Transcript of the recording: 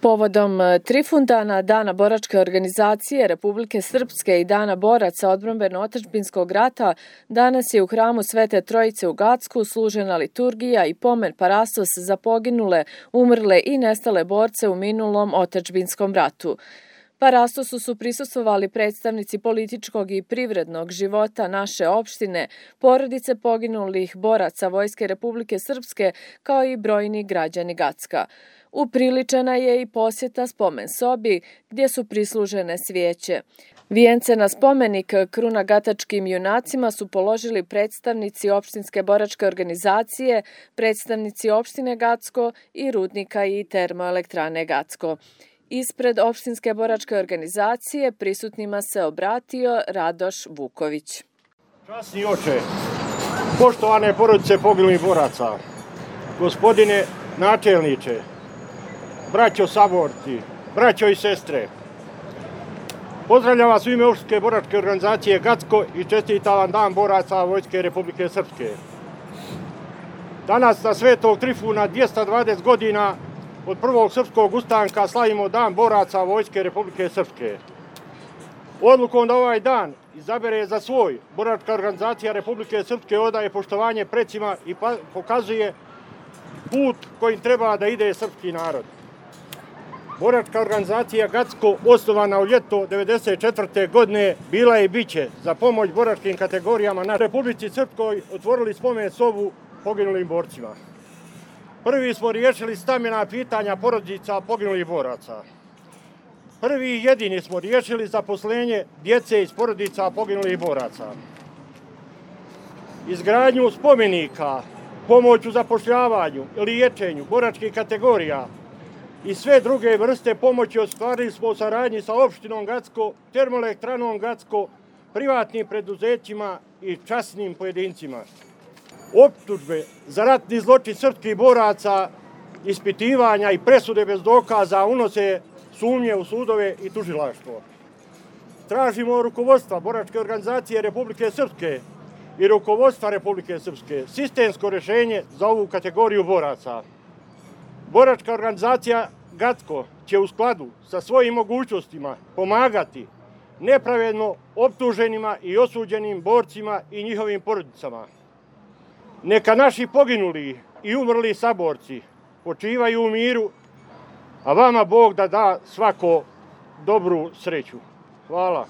Povodom Trifundana, Dana boračke organizacije Republike Srpske i Dana boraca odbrambeno-otadžbinskog rata, danas je u hramu Svete Trojice u Gacku služena liturgija i pomen parastos za poginule, umrle i nestale borce u minulom otadžbinskom ratu. Parastosu su prisustvovali predstavnici političkog i privrednog života naše opštine, porodice poginulih boraca Vojske Republike Srpske, kao i brojni građani Gacka. Upriličena je i posjeta spomen sobi gdje su prislužene svijeće. Vijence na spomenik krunagatačkim junacima su položili predstavnici opštinske boračke organizacije, predstavnici opštine Gacko i rudnika i termoelektrane Gacko. Ispred opštinske boračke organizacije prisutnima se obratio Radoš Vuković. Časni oče, poštovane porodice poginulih boraca, gospodine načelniče, braćo saborci, braćo i sestre, pozdravljam vas u ime opštinske boračke organizacije Gacko i čestitam vam Dan boraca Vojske Republike Srpske. Danas na Svetog Trifuna 220 godina od prvog srpskog ustanka slavimo Dan boraca Vojske Republike Srpske. Odlukom da ovaj dan izabere za svoj, boračka organizacija Republike Srpske odaje poštovanje precima i pokazuje put kojim treba da ide srpski narod. Boračka organizacija Gacko, osnovana u ljeto 1994. godine, bila je i biće za pomoć boračkim kategorijama na Republici Srpskoj otvorili spomen sobu poginulim borcima. Prvi smo riješili stambena pitanja porodica poginulih boraca. Prvi i jedini smo riješili zaposlenje djece iz porodica poginulih boraca. Izgradnju spomenika, pomoć u zapošljavanju, liječenju boračkih kategorija i sve druge vrste pomoći ostvarili smo u saradnji sa opštinom Gacko, termoelektranom Gacko, privatnim preduzećima i časnim pojedincima. Optužbe za ratni zločin srpskih boraca, ispitivanja i presude bez dokaza unose sumnje u sudove i tužilaštvo. Tražimo rukovodstva boračke organizacije Republike Srpske i rukovodstva Republike Srpske sistemsko rješenje za ovu kategoriju boraca. Boračka organizacija Gacko će u skladu sa svojim mogućnostima pomagati nepravedno optuženima i osuđenim borcima i njihovim porodicama. Neka naši poginuli i umrli saborci počivaju u miru, a vama Bog da svako dobru sreću. Hvala.